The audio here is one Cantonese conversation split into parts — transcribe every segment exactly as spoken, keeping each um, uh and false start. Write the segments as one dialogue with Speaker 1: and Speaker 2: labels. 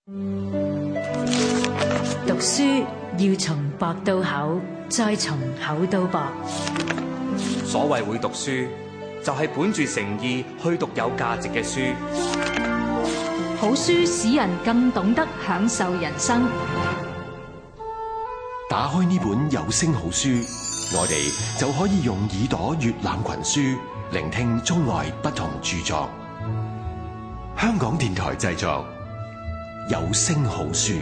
Speaker 1: 讀書要從薄到厚，再從厚到薄。
Speaker 2: 所謂會讀書，就係本住誠意去讀有價值嘅書。
Speaker 3: 好書使人更懂得享受人生。
Speaker 4: 打開呢本有聲好書，我哋就可以用耳朵閱覽群書，聆聽中外不同著作。香港電台製作，有聲好書。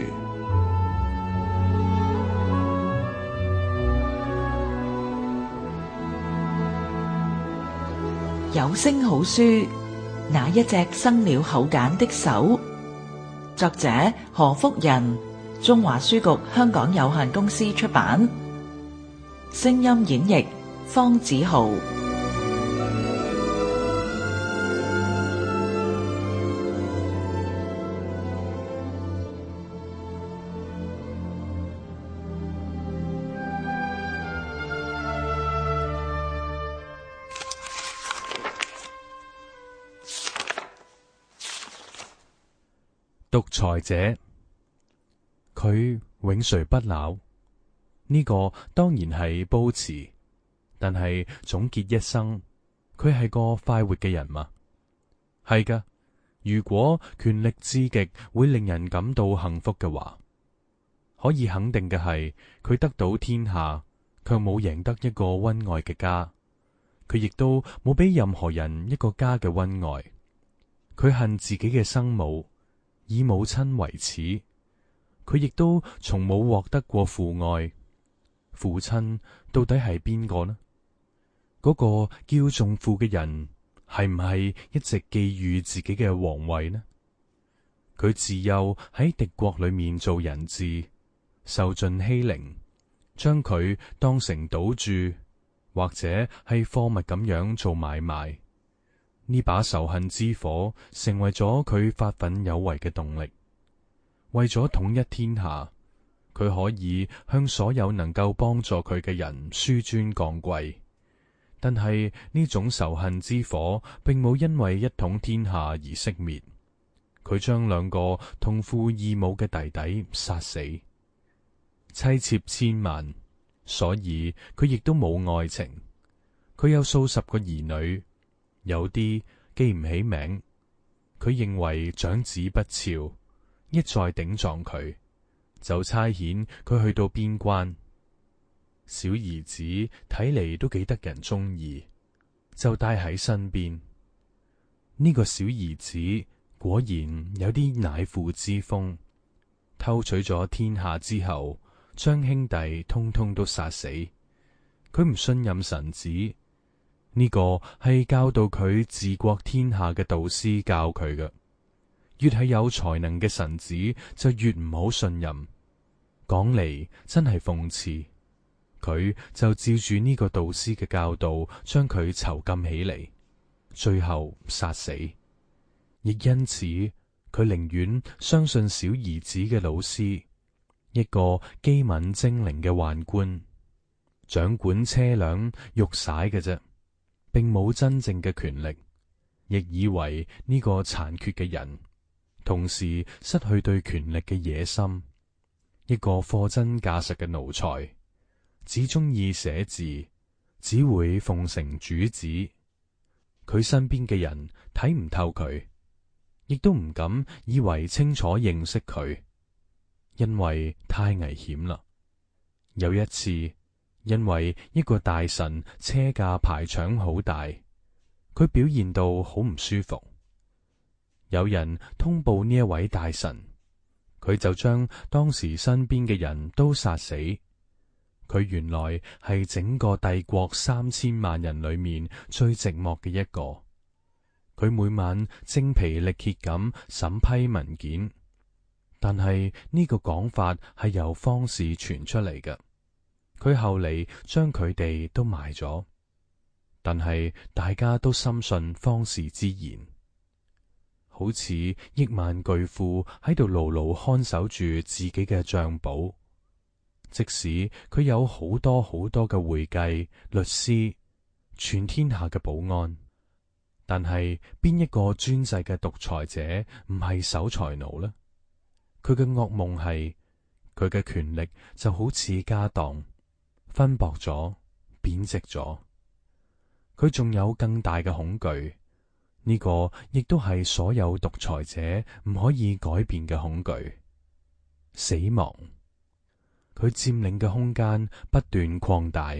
Speaker 5: 有聲好書，那一隻生了口繭的手。作者何福仁，中華書局香港有限公司出版。聲音演繹方子豪。
Speaker 6: 獨裁者，佢永垂不朽。呢個當然係褒詞，但係總結一生，佢係個快活嘅人嘛？係噶。如果權力至極會令人感到幸福嘅話，可以肯定嘅係，佢得到天下，卻冇贏得一個溫愛嘅家。佢亦都冇俾任何人一個家嘅溫愛。佢恨自己嘅生母，以母親為恥。佢亦都從冇獲得過父愛。父親到底係邊個呢？嗰個叫仲父嘅人係唔係一直覬覦自己嘅皇位呢？佢自幼喺敵國裏面做人質，受盡欺凌，將佢當成賭注或者係貨物咁樣做買賣。呢把仇恨之火成為咗佢發奮有為嘅動力。為咗統一天下，佢可以向所有能夠幫助佢嘅人紆尊降貴。但係呢種仇恨之火並冇因為一統天下而熄滅。佢將兩個同父異母嘅弟弟殺死，妻妾千萬，所以佢亦都冇愛情。佢有數十個兒女，有啲記唔起名。佢認為長子不肖，一再頂撞佢，就差遣佢去到邊關。小兒子睇嚟都幾得人中意，就帶喺身邊。呢個小兒子果然有啲乃父之風，偷取咗天下之後，將兄弟通通都殺死。佢唔信任臣子，呢個係教導佢治國天下嘅導師教佢嘅。越係有才能嘅臣子，就越唔好信任。講嚟真係諷刺。佢就照住呢個導師嘅教導，將佢囚禁起嚟，最後殺死。亦因此，佢寧願相信小兒子嘅老師，一個機敏精靈嘅宦官，掌管車輛、玉璽嘅啫，並冇真正嘅權力。亦以為呢個殘缺嘅人，同時失去對權力嘅野心，一個貨真價實嘅奴才。只中意寫字，只會奉承主子。佢身邊嘅人睇唔透佢，亦都唔敢以為清楚認識佢，因為太危險啦。有一次，因為一個大臣車駕排場好大，佢表現到好唔舒服。有人通報呢一位大臣，佢就將當時身邊嘅人都殺死。佢原來係整個帝國三千萬人裏面最寂寞嘅一個。佢每晚精疲力竭咁審批文件，但係呢個講法係由方士傳出嚟嘅。佢後嚟將佢哋都埋咗，但係大家都深信方士之言，好似億萬巨富喺度牢牢看守住自己嘅帳簿。即使佢有好多好多嘅會計、律師，全天下嘅保安，但係邊一個專制嘅獨裁者唔係守財奴呢？佢嘅噩夢係佢嘅權力就好似家當，分薄咗，貶值咗。佢仲有更大嘅恐懼，呢個亦都係所有獨裁者唔可以改變嘅恐懼——死亡。佢佔領嘅空間不斷擴大，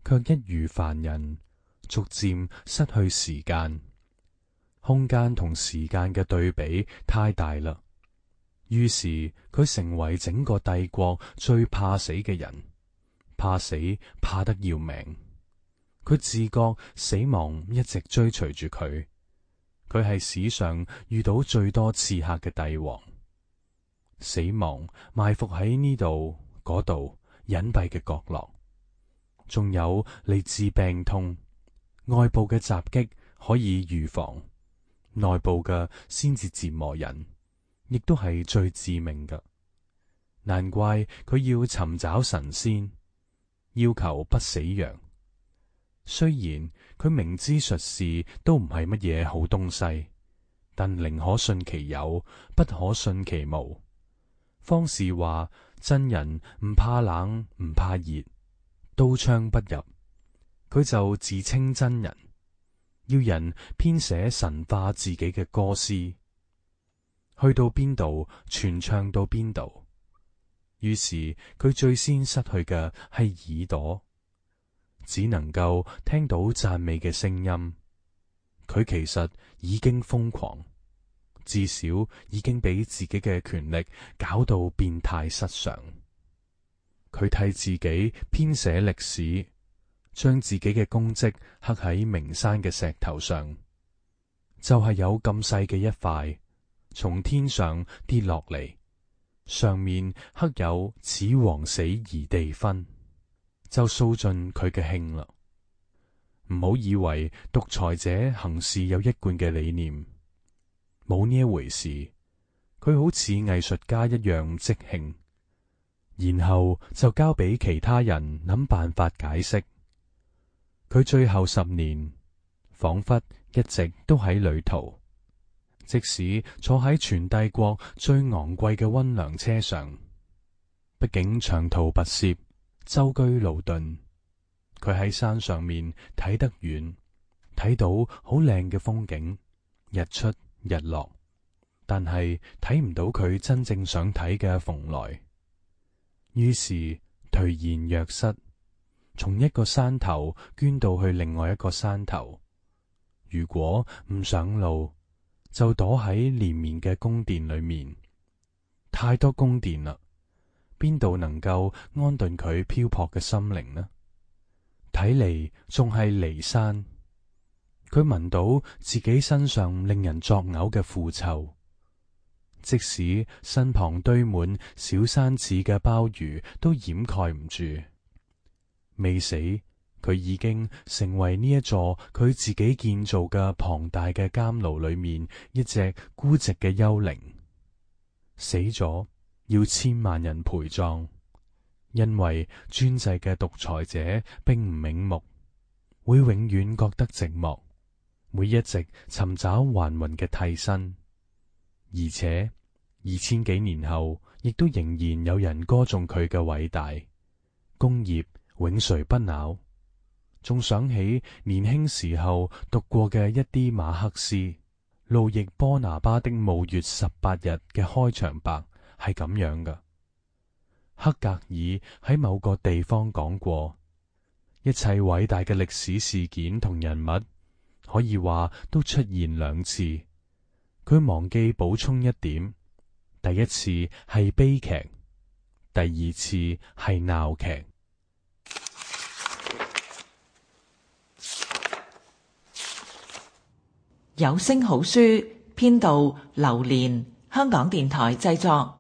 Speaker 6: 卻一如凡人，逐漸失去時間。空間同時間嘅對比太大啦，於是佢成為整個帝國最怕死嘅人，怕死怕得要命。佢自覺死亡一直追隨住佢，佢係史上遇到最多刺客嘅帝王。死亡埋伏喺呢度嗰度隱蔽嘅角落，仲有嚟自病痛。外部嘅襲擊可以預防，內部嘅先至折磨人，亦都係最致命嘅。難怪佢要尋找神仙，要求不死藥。雖然佢明知術士都唔係乜嘢好東西，但寧可信其有，不可信其無。方士話真人唔怕冷，唔怕熱，刀槍不入。佢就自稱真人，要人編寫神化自己嘅歌詩，去到邊度傳唱到邊度。於是佢最先失去嘅係耳朵，只能夠聽到讚美嘅聲音。佢其實已經瘋狂，至少已經俾自己嘅權力搞到變態失常。佢替自己編寫歷史，將自己嘅功績刻喺名山嘅石頭上，就係有咁細嘅一塊從天上跌落嚟，上面刻有此王死而地分，就掃盡佢嘅興啦。唔好以為獨裁者行事有一貫嘅理念，冇呢一回事。佢好似藝術家一樣即興，然後就交俾其他人諗辦法解釋。佢最後十年仿佛一直都喺旅途，即使坐喺全帝國最昂貴嘅溫良車上，畢竟長途跋涉，舟車勞頓。佢喺山上面睇得遠，睇到好靚嘅風景，日出日落，但係睇唔到佢真正想睇嘅蓬萊。於是頹然若失，從一個山頭捐到去另外一個山頭。如果唔上路，就躲喺連綿嘅宮殿裏面。太多宮殿啦，邊度能夠安頓佢漂泊嘅心靈呢？睇嚟仲係離山。佢聞到自己身上令人作嘔嘅腐臭，即使身旁堆滿小山似嘅鮑魚，都掩蓋唔住。未死，佢已經成為呢一座佢自己建造嘅龐大嘅監牢裏面一隻孤寂嘅幽靈。死咗要千萬人陪葬，因為專制嘅獨裁者並唔瞑目，會永遠覺得寂寞，會一直尋找還魂嘅替身。而且二千幾年後，亦都仍然有人歌頌佢嘅偉大功業，永垂不朽。仲想起年輕時候讀過嘅一啲馬克思、路易波拿巴的墓穴十八日嘅開場白係咁樣㗎。黑格爾喺某個地方講過，一切偉大嘅歷史事件同人物可以話都出現兩次。佢忘記補充一點，第一次係悲劇，第二次係鬧劇。
Speaker 5: 有聲好書編導劉蓮，香港電台製作。